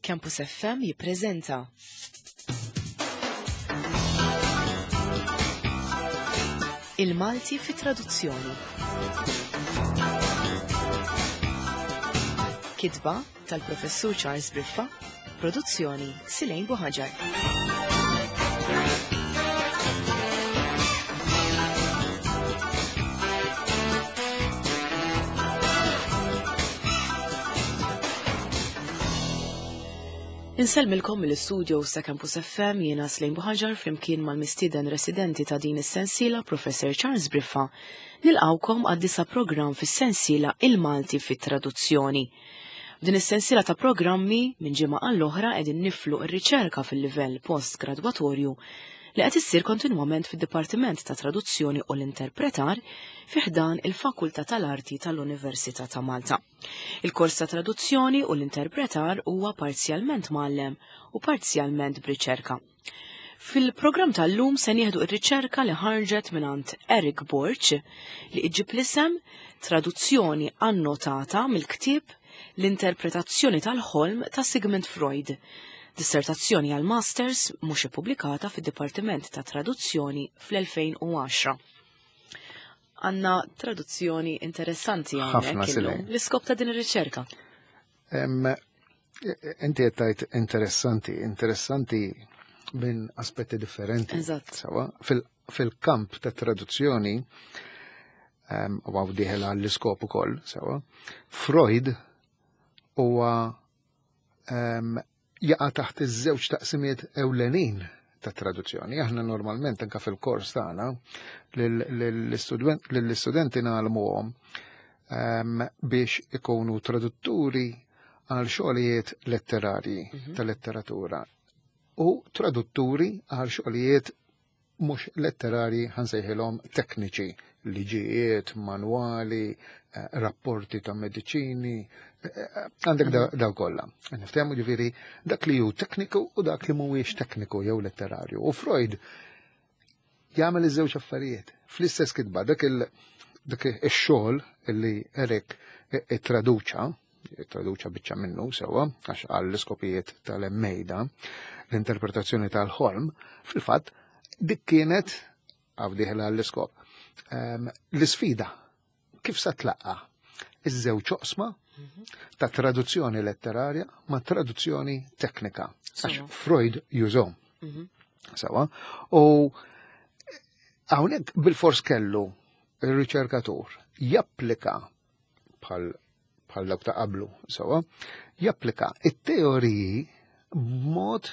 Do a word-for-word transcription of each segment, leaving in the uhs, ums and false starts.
Campus F M jippreżenta Il-Malti fi traduzzjoni. Kitba tal-Professur Charles Briffa, produzzjoni Silejn Buħaġar. Insellmilkom mill-istudio ta' Campus F M jiena Slejn Buħaġar flimkien mal-mistieden residenti ta' din is-sensiela Professor Charles Briffa. Nilqawkom għad-disa' programm fis-sensiela Il-Malti fit-Traduzzjoni. F'din is-sensiela ta' programmi minn ġimgħa għall-oħra qegħdin niflu r-riċerka fil-livell post-gradwatorju li qed issir kontinwament fid-Dipartiment ta' Traduzzjoni u l-Interpretar fi ħdan il-Fakultà tal-Arti tal-Università ta' Malta. Il-kors ta' Traduzzjoni u l-Interpretar huwa parzjalment mgħallem u parzjalment b'riċerka. Fil-programm tal-lum se nieħdu r-riċerka li ħarġet mingħand Eric Borg li iġib l-isem Traduzzjoni annotata mill-ktieb L-Interpretazzjoni tal-Ħolm ta' Sigmund Freud. Dissertazzjoni għal Masters mhux ippubblikata fid-Dipartiment ta' Traduzzjoni fl-elfejn u għaxra. Għandna traduzzjoni interessanti hawnhekk Ħafna illum. silej. L-iskop ta' din ir-riċerka. Em, inti qed tgħid interessanti, interessanti minn aspetti differenti. Eżatt. Sawa, fil-, fil-kamp ta' traduzzjoni, em, u għaw diħel għall-iskop ukoll, sawa, Freud huwa, em, jaqa' taħt iż-żewġ taqsimiet ewlenin ta' traduzzjoni. Aħna normalment anka fil-kors tagħna lill-istudenti nagħlmuhom, em, biex ikunu tradutturi għal xogħlijiet letterarji Mhm. ta' letteratura u tradutturi għal xogħlijiet mhux letterarji ħansejħilhom tekniċi, liġijiet, manwali, eh, rapporti ta' mediċini, eh, eh, għandek da-, Mhm. daw kollha. Niftehmu ġifieri dak li hu tekniku u dak li mhuwiex tekniku jew letterarju. U Freud jagħmel iż-żewġ affarijiet fl-istess kitba, dak il-, dak ix-xogħol li Eric ittraduċa, ittraduċa biċċa minnu sewwa, għax għall-iskopijiet tal-Emmejda, l-interpretazzjoni tal-ħolm, fil-fatt dik kienet għaw diħla għall-iskop. Ehm, l-isfida kif sa tlaqqa iż-żewġ oqsma ta' traduzzjoni letterarja ma' traduzzjoni teknika. Għax Sewa. Freud jużhom. Mhm. Sewa. U hawnhekk bil-fors kellu ir-riċerkatur japplika bħal, bħal dawk ta' qablu, sewa, japplika it-teoriji b'mod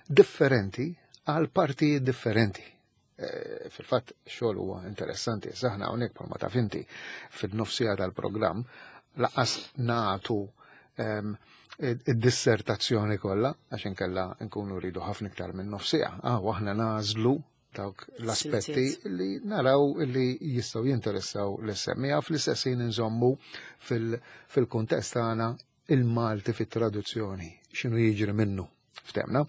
differenti għal partijiet differenti. Eh, fil-fatt xogħol huwa interessanti, saħna hawnhekk bħalma taf inti fil-nofsija tal-programm laqas nagħtu, ehm, id-dissertazzjoni kollha għax inkella nkunu rridu ħafna iktar minn nofsija. Ah, u aħna nażlu dawk l-aspetti Siltiet. li naraw li jistgħu jinteressaw l-semmiegħa, fl-istess ħin inżommu fil-, fil-kuntest tagħna il-Malti fit-traduzzjoni, x'inhu jiġri minnu, ftemna.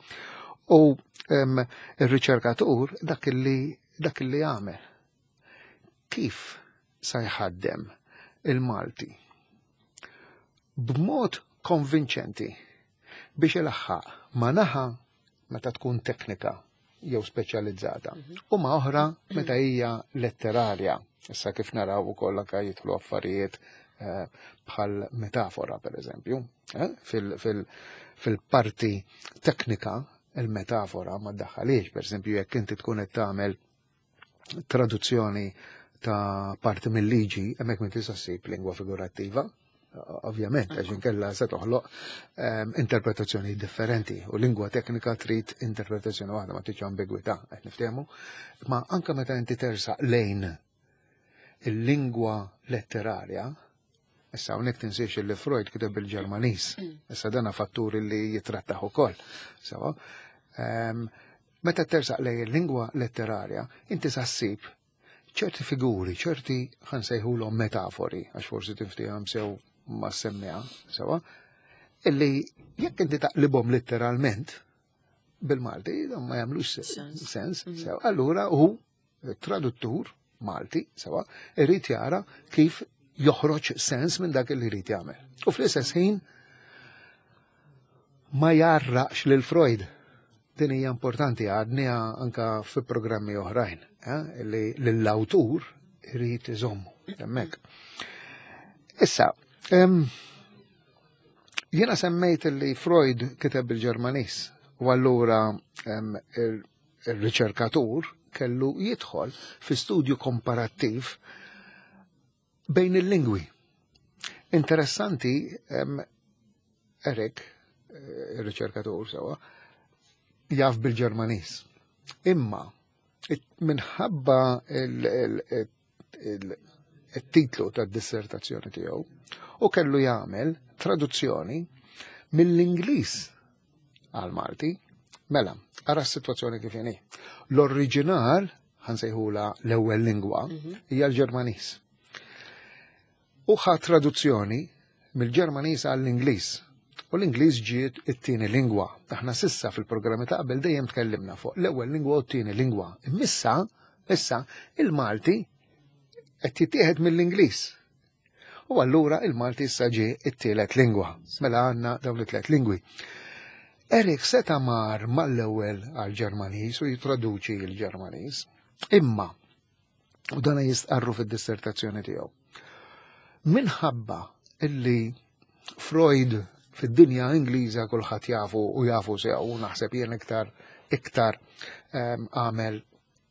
U, em, ir-riċerkatur dak li, dak li għamel. Kif sa jħaddem il-Malti b'mod konvinċenti biex ilaħħaq ma' naħa meta tkun teknika jew speċjalizzata Mhm. u ma' oħra meta hija letterarja. Issa kif naraw ukoll anke jidħlu affarijiet, eh, bħal metafora per eżempju, eh, fil-, fil-, fil-parti teknika il-metafora ma ddaħħalix, per eżempju jekk inti tkun qed tagħmel traduzzjoni ta' parti mill-liġi, hemmhekk ma tista' ssib lingwa figurattiva, ovvjament, għax inkella se toħloq, ehm, interpretazzjoni differenti u lingwa teknika trid interpretazzjoni waħda ma tridx ambigwità, qed niftehmu. Ma anke meta inti tersaq lejn il-lingwa letterarja, issa hawnhekk tinsiex li Freud kiteb bil-Ġermaniż, issa dana fattur li jitrattaħ ukoll. Sewa, ehm, meta tersaq lejn il-lingwa letterarja, inti sa ssib ċerti figuri, ċerti ħansejħulhom metafori, għax forsi tiftihom sew ma semmiha, sewa, illi jekk inti taqlibhom letteralment bil-Malti, dan ma jagħmlux se- Sens. sens, Mhm. sewa. Allura hu traduttur Malti, sewa, irid jara kif joħroġ sens minn dak li jrid jagħmel. U fl-istess ħin Ma jarraqx lil Freud. Din hija importanti, għadniha anka fi programmi oħrajn, eh, li l-awtur irid iżommu hemmhekk. Issa, em, jiena semmejt li Freud kiteb bil-Ġermaniż u allura em, il- il-riċerkatur kellu jidħol fi studju komparattiv bejn il-lingwi. Interessanti, em, Erik, eh, il-riċerkatur sewa, jaf bil-Ġermaniż. Imma, it- minħabba il- il- il- il-titlu tad-dissertazzjoni tiegħu, u kellu jagħmel traduzzjoni mill-Ingliż għal Malti. Mela, ara s-sitwazzjoni kif inhi. L-oriġinal, ħa nsejħulha l-ewwel lingwa, hija l-Ġermaniż. U ħa traduzzjoni mill-Ġermaniż għall-Ingliż. U l-Ingliż ġiet it-tieni lingwa. Aħna s'issa fil-programmi ta' qabel dejjem tkellimna fuq l-ewwel lingwa u t-tieni lingwa. Imma issa il-Malti qed jittieħed mill-Ingliż. U allura il-Malti issa ġie it-tielet lingwa. Mela għandna dawn it-tliet lingwi. Erik seta mar mal-ewwel għal-Ġermaniż u jitraduċi l-Ġermaniż. Imma, u dana jistqarru fid-dissertazzjoni tiegħu. Minħabba illi Freud fid-dinja Ingliża kulħadd jafu u jafu sew u naħseb jien iktar iktar em, għamel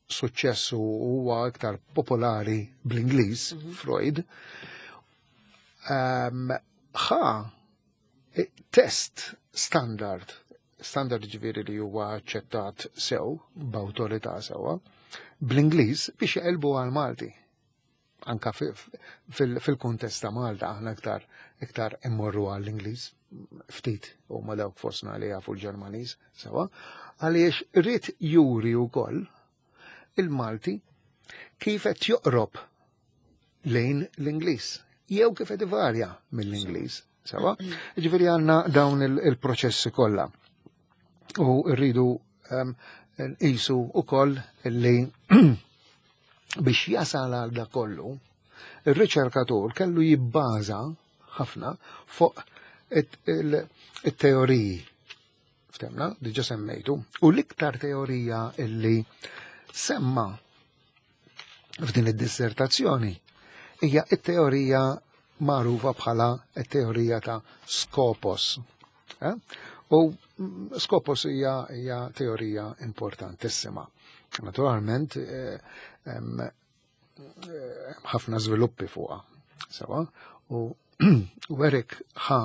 suċċessu u huwa iktar popolari bl-Ingliż, Freud, em, ħa test standard, standard ġifieri li huwa aċċettat sew, b'awtorità sewwa, bl-Ingliż biex jaqilbu għal Malti. Anka fil-kuntest ta' Malta aħna iktar iktar immorru għall-Ingliż, ftit u ma dawk fostna li jafu l-Ġermaniż sewa, għaliex ried juri wkoll il-Malti kif qed joqrob lejn l-Ingliż, jew kif qed ivarja mill-Ingliż, sewa. Ġifieri għandna dawn il-proċessi kollha. U rridu nqisu ukoll li biex jasal għal da kollu, il-riċerkatur kellu jibbaża ħafna fuq it-teoriji. Ftemna, diġa semmejtu. U l-iktar teorija illi semma f'din id-dissertazzjoni hija it-teorija magħrufa bħala it-teorija ta' Skopos. Eh? U Skopos hija, hija teorija importantissima. Naturalment, eh, ħafna żviluppi fuqha. Sewa, u u Erik ħa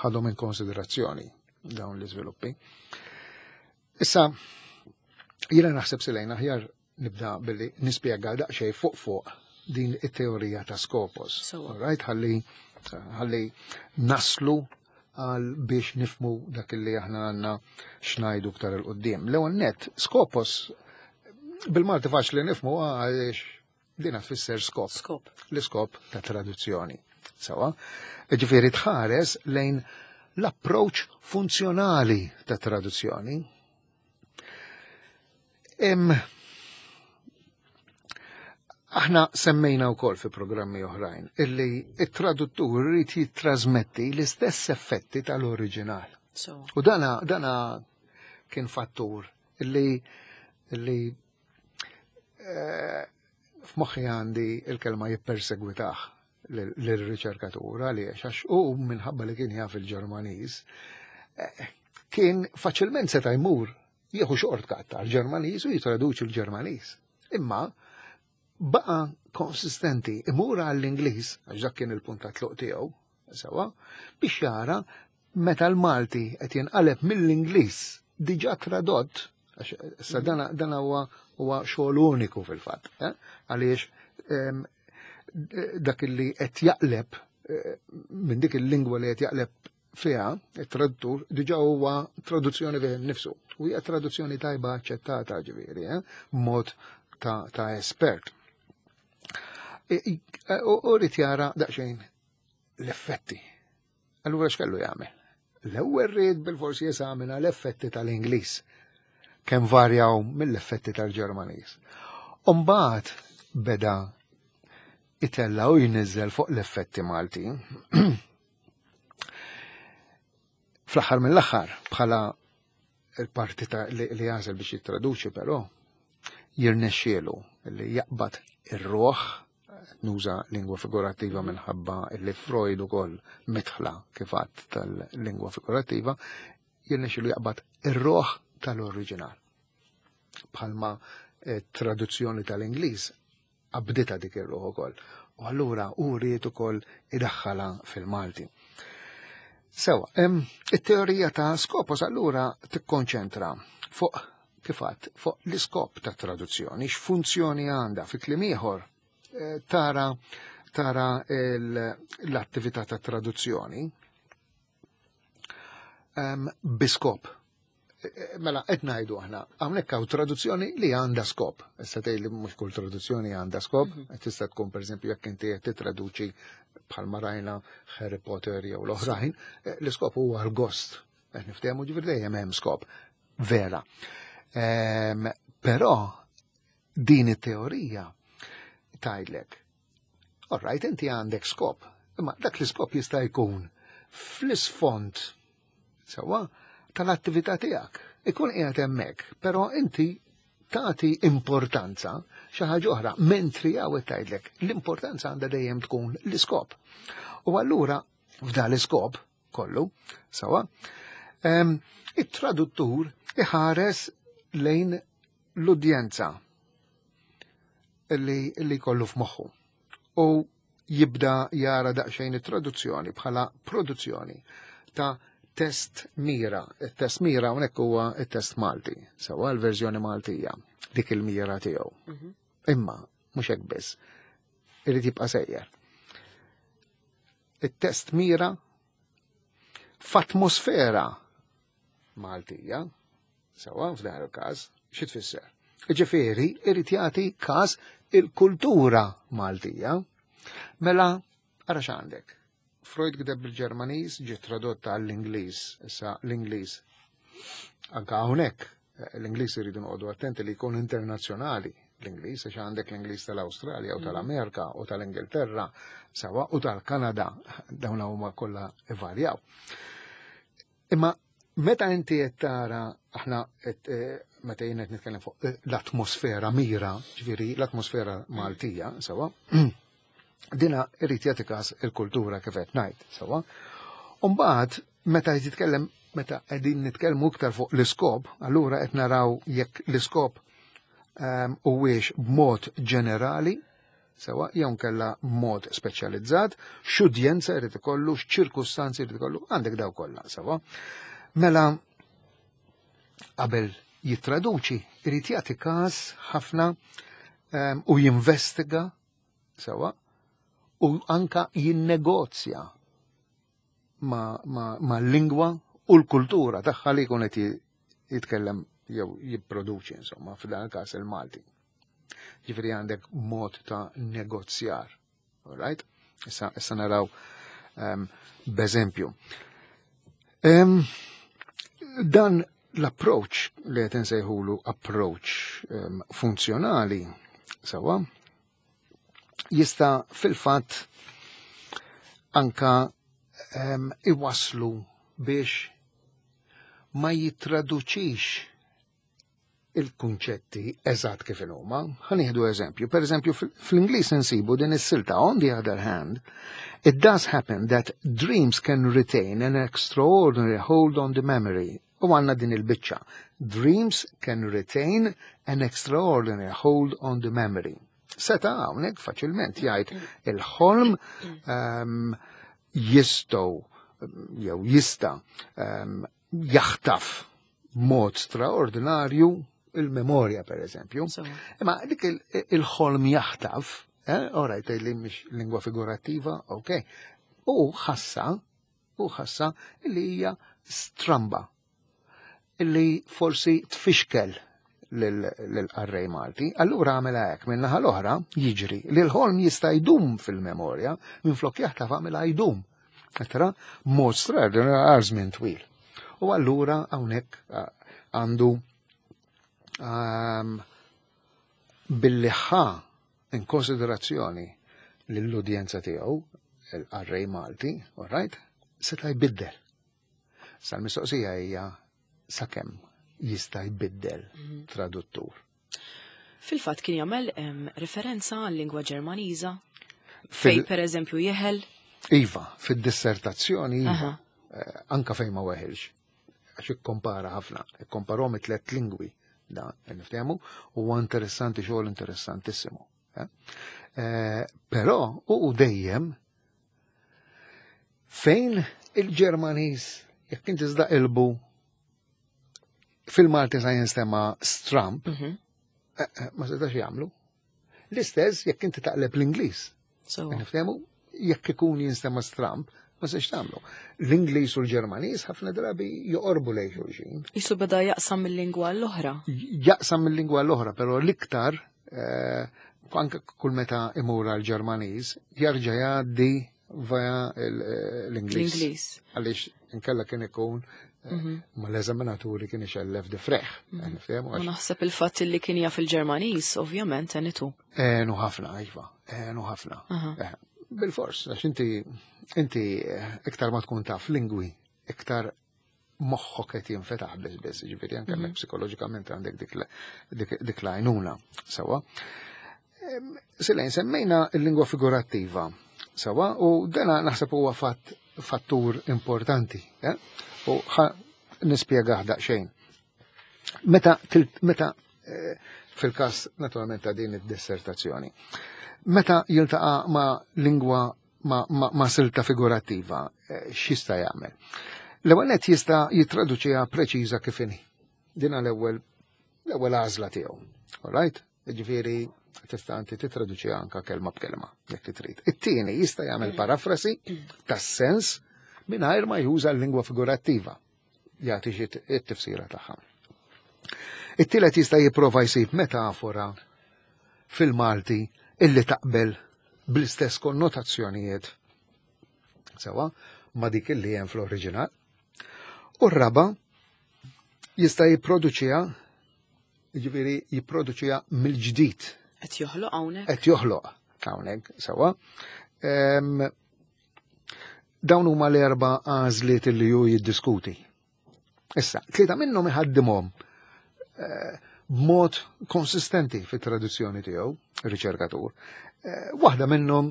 ħadhom in konsiderazzjoni dawn l-iżviluppi. Issa, jiena naħseb silejna aħjar nibda billi nispjega daqsxejn fuq fuq din it-teorija ta' Skopos. So. Right, ħalli ħalli naslu għal biex nifmu dak li aħna għandna x'ngħidu ktar 'il quddiem. L-ewwel net, Skopos bil-Malti faċli nifmu għaliex din tfisser skop. Skop. L-iskop ta' traduzzjoni. Sewa, ġifieri tħares lejn l-approach funzjonali ta' traduzzjoni. Em, aħna semmejna wkoll fi programmi oħrajn illi it-traduttur irid jittrasmetti l-istess effetti tal-oriġinal. So. U dana, dana kien fattur illi illi eh, f'moħħi għandi il-kelma jippersegwitah l-riċerkatur għaliex għax u minħabba li kien jaf il-Ġermaniż eh, kien faċilment seta' jmur jieħu shortcut tal-Ġermaniż u jitraduċi l-Ġermaniż. Imma baqa konsistenti imur għall-Ingliż, għax dak kien il-punt ta' tluq tiegħu, sewa, biex jara meta l-Malti qed jinqaleb mill-Ingliż diġà tradott, għax issa dana dana huwa huwa xogħol uniku fil-fatt, eh? Għaliex em, dak li qed jaqleb eh, minn dik il-lingwa li qed jaqleb fiha, it-traduttur, diġà huwa traduzzjoni fih innifsu. U hija traduzzjoni tajba aċċettata ġifieri, eh? Mod ta', ta' espert. E- e- U u rrid jara daqsxejn l-effetti. Allura x'kellu jagħmel? L-ewwel ried bil-forsi jeżamina l-effetti tal-Ingliż kemm varjaw mill-effetti tal-Ġermaniż. Umbagħad beda itella u jniżżel fuq l-effetti Malti. Fl-aħħar mill-aħħar, bħala il-parti ta' li, li għażel biex jittraduċi, però jirnexxielu li jaqbad ir-ruħ, nuża lingwa figurattiva minħabba li Freud ukoll mitħla kif għadt tal-lingwa figurattiva, jirnexxielu jaqbad ir-ruħ tal-oriġinal. Bħalma eh, traduzzjoni tal-Ingliż qabditha dik ir-ruħ ukoll. U allura u ried ukoll idaħħalha fil-Malti. Sewa, it-teorija ta' Skopos allura tikkonċentra fuq, kif għedt, fuq l-iskop ta' traduzzjoni, x'funzjoni għandha. Fi kliem ieħor, eh, tara tara l-attività ta' traduzzjoni bi skop. E, e, mela, qed ngħidu aħna, hawnhekk hawn traduzzjoni li għandha skop. Issa tgħid li mhux kull traduzzjoni għandha skop, mhm. tista' tkun, pereżempju, jekk inti qed titraduċi bħalma rajna Harry Potter jew l-oħrajn, e, l-iskop huwa l-gost. Qed niftehmu, ġifieri dejjem hemm skop. Vera. Però din it-teorija tgħidlek, all right, inti għandek skop, imma dak l-iskop jista' jkun fl-isfond sewa tal-attività tiegħek. Ikun qiegħed hemmhekk, però inti tagħti importanza xi ħaġa oħra, mentri hawn tgħidlek l-importanza għandha dejjem tkun l-iskop. U allura f'dan l-iskop kollu, sewa, it-traduttur iħares lejn l-udjenza li, li kollu f'moħħu u jibda jara daqsxejn it-traduzzjoni bħala produzzjoni ta' test mira. Il-test mira hawnhekk huwa il-test Malti, sewa, l-verżjoni Maltija, dik il-mira tiegħu. Mhm. Imma mhux hekk biss, irid jibqa' sejjer. Il-test mira f'atmosfera Maltija, sewa, f'dan il-każ, xi tfisser? Ġifieri, irid jagħti każ il-kultura Maltija. Mela, ara x'għandek. Freud kiteb bil-Ġermaniż, ġie tradotta għall-Ingliż, issa l-Ingliż. Anka hawnhekk l-Ingliż iridu noqogħdu attenti li jkun internazzjonali l-Ingliż, għax għandek l-Ingliż tal-Awstralja u tal-Amerika u tal-Ingilterra, sewa, u tal-Kanada, dawn huma kollha ivarjaw. Imma meta inti qed tara aħna qed eh, meta jien qed nitkellem fuq eh, l-atmosfera mira, ġifieri l-atmosfera Maltija, sewa, dina irid jagħti każ il-kultura kif qed ngħid, sewa. U mbagħad meta jitkellem meta qegħdin nitkellmu iktar fuq l-iskop, allura qed naraw jekk l-iskop ehm, huwiex b'mod ġenerali, sewa, jew kella mod speċjalizzat, x'udjenza jrid ikollu, x'ċirkustanzi jrid ikollu, għandek daw kollha, sewa. Mela qabel jittraduċi, irid jagħti każ ħafna um, u jinvestiga, sewa, u anka jinnegozja ma, ma, ma l-lingwa u l-kultura tagħha li jkun qed jitkellem jew jipproduċi, insomma, f'dan il-każ il-Malti. Ġifieri għandek mod ta' negozjar. All right? Issa, issa naraw um, b'eżempju. Um, dan l-approach li qed insejħulu approach um, funzjonali, sewa, jista' fil-fatt anka um, iwaslu biex ma jitraduċix il-kunċetti eżatt kif huma. Ħa nieħdu eżempju. Per eżempju, fl-Ingliż insibu din is-silta: "On the other hand, it does happen that dreams can retain an extraordinary hold on the memory." U għandna din il-biċċa. "Dreams can retain an extraordinary hold on the memory." Seta' hawnhekk faċilment jgħid il-ħolm um, jistgħu jew jista' um, jaħtaf mod straordinarju il-memorja, per eżempju. Imma dik il-ħolm jaħtaf, eh, orajt li mhix lingwa figurattiva, ok. U ħassa, u ħassa li hija stramba, illi forsi tfixkel lill-qarrej Malti. Allura għamela hekk: minn naħa l-oħra jiġri li l-ħolm jista' jdum fil-memorja, minn flok jaħtaf għamela jdum. Tra mod straordinarju għal żmien twil. U allura hawnhekk għandu um, billi ħa in konsiderazzjoni l-udjenza tiegħu, il-qarrej Malti, all right, seta' jbiddel. Sal-mistoqsija hija sakemm jista' jbiddel mhm. traduttur. Fil-fatt kien jagħmel referenza għal-lingwa Ġermaniża fej per eżempju jeħel. Iva, fid-dissertazzjoni iva, eh, anka fejn ma weħilx. Għax ikkompara ħafna, ikkomparhom it-tlet lingwi da niftehmu, huwa interessanti, xogħol interessantissimu. Eh? Eh, però u dejjem fejn il-Ġermaniż jekk inti ilbu fil-Malti sa jinstema stramp, mhm. eh, eh, ma setax jagħmlu. L-istess jekk inti taqleb l-Ingliż. Niftehmu, jekk ikun jinstema stramp, ma setax tagħmlu. L-Ingliż u l-Ġermaniż ħafna drabi joqorbu lejn xulxin. Isu beda jaqsam mill-lingwa l-oħra. Jaqsam mill-lingwa l-oħra, però l-iktar eh, anke kull meta imur għal-Ġermaniż jarġa' jgħaddi via l-Ingliż. L-Ingliż. Għaliex inkella kien ikun mhm. ma l-eżaminaturi kien ixellef difreħ. Mhm. U naħseb il-fatt li kien jaf il-Ġermaniż, ovvjament, għenitu. Għenu ħafna, iva, għenu ħafna. Eh, bil-fors, għax inti inti eh, iktar ma tkun taf lingwi, iktar moħħok qed jinfetaħ biss biss, ġifieri anke mhm. psikoloġikament għandek dik dik l-għajnuna. Sewwa. Silejn, semmejna l-lingwa figurattiva. Sewwa, u dana naħseb huwa fatt fattur importanti. Eh? U ħa nispjegah daqsxejn. Meta, meta eh, fil-każ naturalment ta' din id-dissertazzjoni, meta jiltaqa' ma' lingwa ma', ma, ma silta figurattiva, eh, x'jista' jagħmel? L-ewwel nett jista' jittraduċiha preċiża kif inhi. Dina l-ewwel l-ewwel għażla tiegħu. All right? Ġifieri tista' inti titraduċiha anka kelma b'kelma jekk trid. It-tieni jista' jagħmel parafrasi tas-sens mingħajr ma juża l-lingwa figurattiva, jagħti xi t-tifsira tagħha. It-tielet jista' jipprova jsib metafora fil-Malti illi taqbel bl-istess konnotazzjonijiet sewwa ma dik illi hemm fl-oriġinal. U r-raba jista' jipproduċiha, jiġifieri jipproduċiha mill-ġdid. Qed joħloq hawnhekk. Qed joħloq hawnhekk sewwa. Em, Dawn huma l-erba' għażliet li hu jiddiskuti. Issa, tlieta minnhom iħaddimhom eh, b'mod konsistenti fit-traduzzjoni tiegħu, riċerkatur. Eh, Waħda minnhom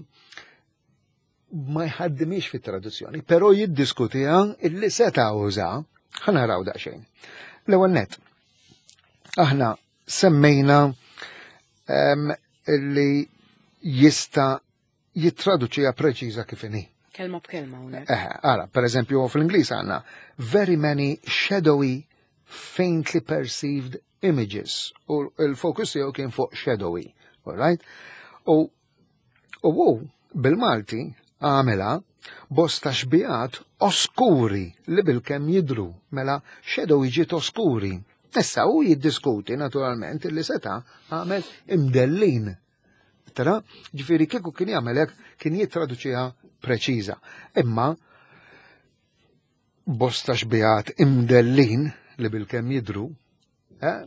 ma jħaddimix fit-traduzzjoni, però jiddiskutiha illi seta' uża, ħa naraw daqsxejn. L-ewwel net, aħna semmejna em, illi jista' jittraduċiha preċiża kif inhi. Kelma b'kelma hawnhekk. Eh, ara, per eżempju, fl-Ingliż għandna "very many shadowy, faintly perceived images". U il-fokus tiegħu kien fuq shadowy, all right? U u hu bil-Malti għamela "bosta xbijat oskuri li bil-kemm jidru", mela shadowy ġiet oskuri. Issa u jiddiskuti naturalment li seta' għamel imdellin. Tara, ġifieri kieku kien jagħmel hekk kien jittraduċiha preċiża. Imma bosta xbijat imdellin li bil-kemm jidru, eh,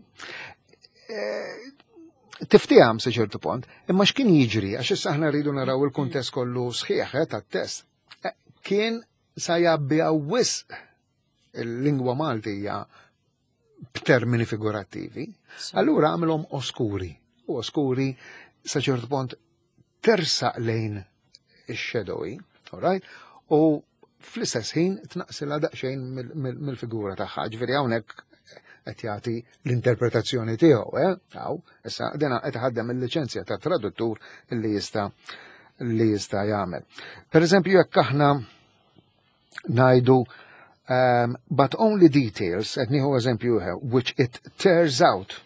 eh, tiftiham sa ċertu punt, imma x'kien jiġri, għax issa aħna rridu naraw il-kuntest kollu sħiħ eh, tat-test. Eh, Kien sa jgħabbiha wisq il-lingwa Maltija b'termini figurattivi, allura għamilhom oskuri. U oskuri sa ċertu punt tersaq lejn ix-shadowy, all right? U fl-istess ħin tnaqsilha daqsxejn mill-figura tagħha. Ġifieri hawnhekk qed jagħti l-interpretazzjoni tiegħu, eh? Hawn, issa dena qed ħaddem il-liċenzja ta' traduttur li jista' li jista' jagħmel. Per eżempju, jekk aħna ngħidu um, "but only details", qed nieħu eżempju, "which it tears out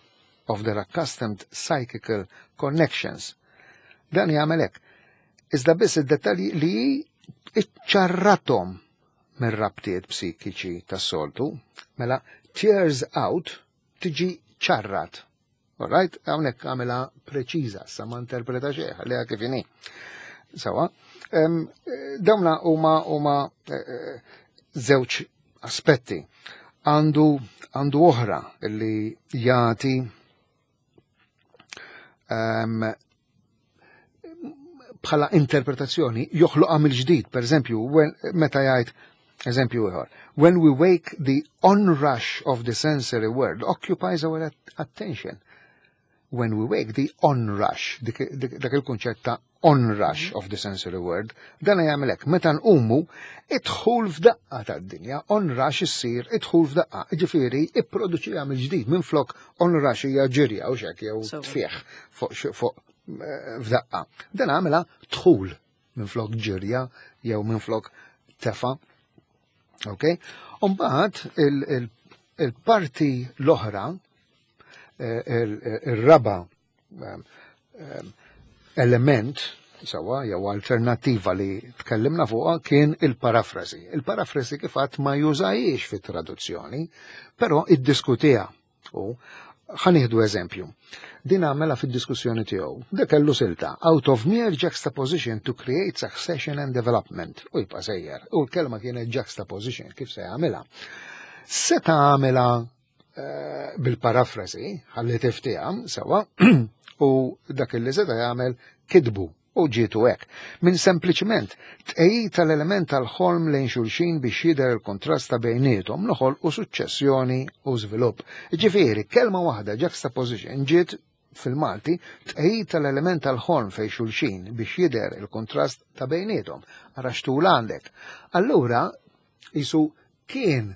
of their accustomed psychical connections". Dan jagħmel hekk. Iżda biss id-dettalji li iċċarrathom mir-rabtiet psikiċi tas-soltu, mela tears out tiġi ċarrat. Alright, hawnhekk għamilha preċiża, sa ma interpreta xejn, ħalliha kif inhi. Sewwa, dawna huma huma eh, żewġ aspetti. Għandu għandu oħra li jagħti um, bħala interpretazzjoni, joħloqha mill-ġdid, per eżempju, meta jgħid Eżempju ieħor. When we wake, the onrush of the sensory world occupies our at- attention. When we wake, the onrush, dik dik- dak il-kunċett ta' onrush of the sensory world, dan jagħmel hekk, meta nqumu, idħul f'daqqa tad-dinja, onrush issir idħul f'daqqa, ġifieri ipproduċiha mill-ġdid minflok onrush hija ġirja u xek jew Sewwa. tfieħ fuq xi- fuq eh, f'daqqa. Dan għamela dħul minflok ġirja jew minflok tefa. Ok? Umbagħad il-parti l-oħra, eh, il- il-raba em, em, element, sewwa, jew alternativa li tkellimna fuqha kien il-parafrasi. Il-parafrasi kif għedt ma jużahiex fit-traduzzjoni, però iddiskutiha. U ħa nieħdu eżempju. Din għamela fid-diskussjoni tiegħu. Dak kellu silta out of mere juxtaposition to create succession and development. U jibqa' sejjer. U l-kelma kienet juxtaposition, kif se jagħmilha. Seta għamela eh, bil-parafrasi, ħalli tiftiha, sewwa, u dak li seta jagħmel kitbu u ġietu hekk. Minn sempliċiment tqegħid tal-element tal-ħolm lejn xulxin biex jidher il-kontrast ta' bejniethom noħol u suċċessjoni u żvilupp. Ġifieri, kelma waħda juxtaposition ġiet fil-Malti tqegħid tal-element tal-ħolm fejn xulxin biex jidher il-kontrast ta' bejniethom. Ara xtul għandek. Allura, jisu kien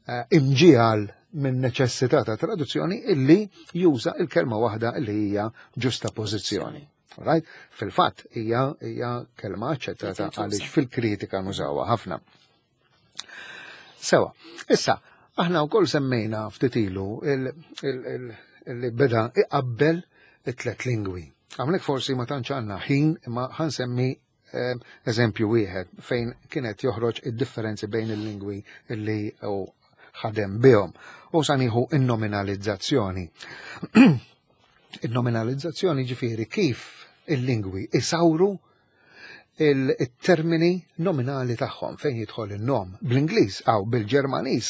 eh, imġiegħel minn neċessità ta' traduzzjoni illi juża il-kelma waħda illi hija ġustapożizzjoni. Right? Fil-fatt hija hija kelma aċċettata Tintuża. għaliex fil-kritika nużawha ħafna. Sewwa, issa, aħna wkoll semmejna ftit ilu il- il- il- li beda iqabbel it-tlet lingwi. Għamlek forsi ma tantx għandna ħin imma ħa nsemmi eh, eżempju wieħed fejn kienet joħroġ id-differenzi bejn il-lingwi illi u ħadem bihom. U sa nieħu in-nominalizzazzjoni. Il-nominalizzazzjoni ġifieri kif il-lingwi isawru il-termini nominali tagħhom fejn jidħol il-nom bl-Ingliż aw bil-Ġermaniż.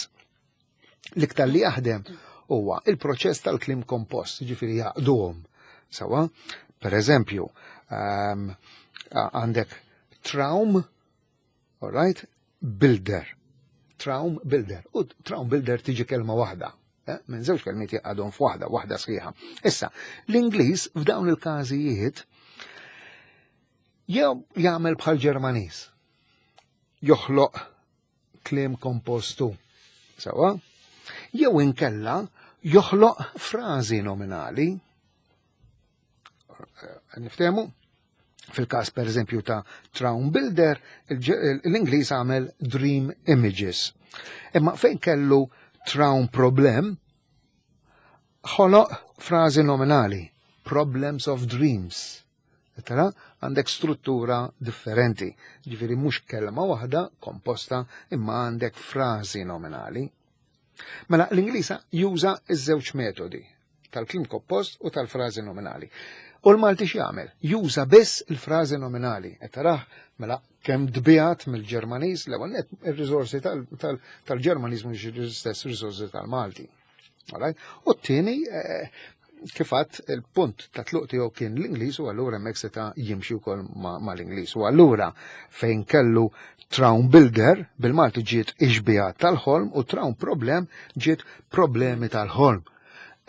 L-iktar li jaħdem huwa il-proċess tal-kliem kompost, ġifieri jaqduhom. Sewwa, per eżempju, um, għandek Traum, all right, Bilder. Traum Bilder. U Traum Bilder tiġi kelma waħda. Eh? Minn żewġ kelmiet jaqgħadhom f'waħda, waħda sħiħa. Issa, l-Ingliż f'dawn il-każijiet jew jagħmel bħal Ġermaniż. Joħloq kliem kompostu. Sewwa? Jew inkella joħloq frażi nominali. Eh, Niftehmu? Fil-każ per eżempju ta' Traum Bilder, l-Ingliż għamel Dream Images. Imma fejn kellu Traum Problem, ħoloq frażi nominali, Problems of Dreams. Tara, għandek struttura differenti. Ġifieri mhux kelma waħda komposta, imma għandek frażi nominali. Mela l-Ingliż juża iż-żewġ metodi, tal-kliem kompost u tal-frażi nominali. U l-Malti x'jagħmel? Juża biss il-frażi nominali. Qed tarah mela kemm tbiegħed mill-Ġermaniż, l-ewwel nett ir-riżorsi tal-Ġermaniż mhux l-istess riżorsi tal-Malti. Alright? U t-tieni eh, kif għedt il-punt ta' tluq tiegħu kien l-Ingliż u allura hemmhekk seta' jimxi wkoll ma' l-Ingliż. U allura fejn kellu Traum Bilder bil-Malti ġiet ixbija tal-ħolm u Traum Problem ġiet problemi tal-ħolm.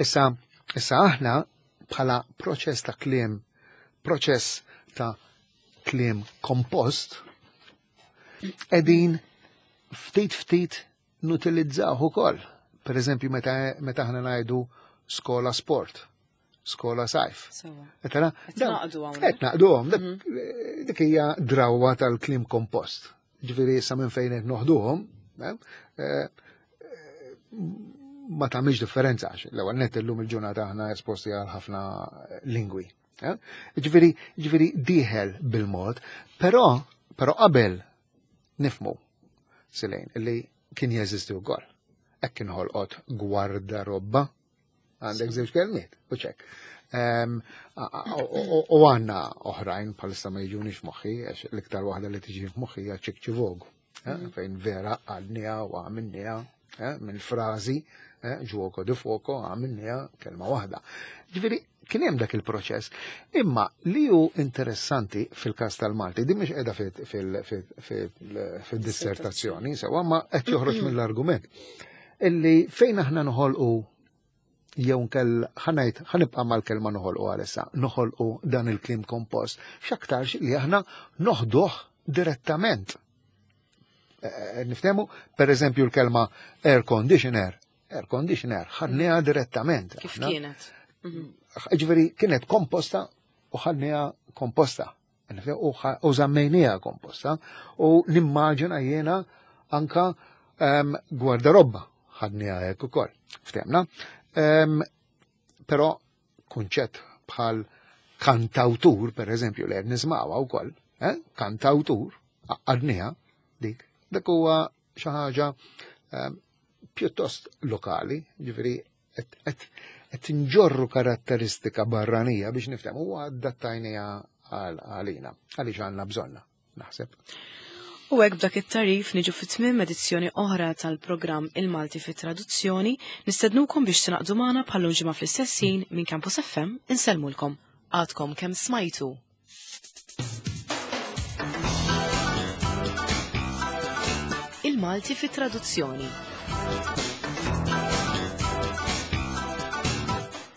Issa, issa aħna bħala proċess ta' kliem, proċess ta' kliem kompost, edin ftit ftit nutilizzaw ukoll. Per eżempju, meta meta aħna ngħidu skola sport, skola sajf. Sewwa. Tara, Qed naqdu hawnhekk. Qed naqduhom, dik dik hija drawwa tal-kliem kompost. Ġifieri issa minn fejn qed noħduhom, eh, eh, ma tagħmilx differenza għax l-ewwel nett illum il-ġurnata aħna esposti għal ħafna lingwi. eh. Ġifieri ġifieri dieħel bil-mod, però però qabel nifmu silejn illi kien jeżisti wkoll. Hekk kien ħolqot gwardarobba għandek żewġ kelmiet, u ċek. Em, a- a- U u għandna oħrajn bħalissa ma jiġunix moħħi, għax l-iktar waħda li tiġi f'moħħi hija ċikċivogu, eh, fejn vera għadniha u għamilniha eh, minn frażi eh, gioco di fuoco għamilniha kelma waħda. Ġifieri kien hemm dak il-proċess. Imma li hu interessanti fil-każ tal-Malti, din mhix qiegħda fid-dissertazzjoni, sewwa, ma qed joħroġ mill-argument. Illi fejn aħna noħolqu jew nkell ħa ngħid ħa nibqa' mal-kelma noħolqu għalissa, noħolqu dan il-kliem kompost, x'aktarx li aħna noħduh direttament. Niftehmu, per eżempju, l-kelma air conditioner, air conditioner, ħadniha direttament. Kif kienet? Ġifieri kienet komposta u ħadniha komposta. U żammejniha komposta. U nimmaġina jiena anka gwardarobba ħadniha hekk ukoll. Ftehmna. Però kunċett bħal kantawtur, per eżempju, li qed nismawha wkoll, kantawtur, għadniha dik, dak huwa xi ħaġa pjuttost lokali, ġifieri qed nġorru karatteristika barranija biex niftehmu u adattajniha għalina, għaliex għandna bżonna, naħseb. U hekk b'dak it-tarif niġu fit-tmiem edizzjoni oħra tal-programm Il-Malti fit-Traduzzjoni, nistednukom biex tingħaqdu magħna bħal ġimgħa fl-istess ħin minn Campus F M insellmulkom. Għadkom kemm smajtu. Il-Malti fit-Traduzzjoni.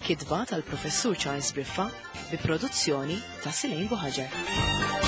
Kitba tal-Professur Charles Briffa bi produzzjoni ta' Silejn Buħaġar.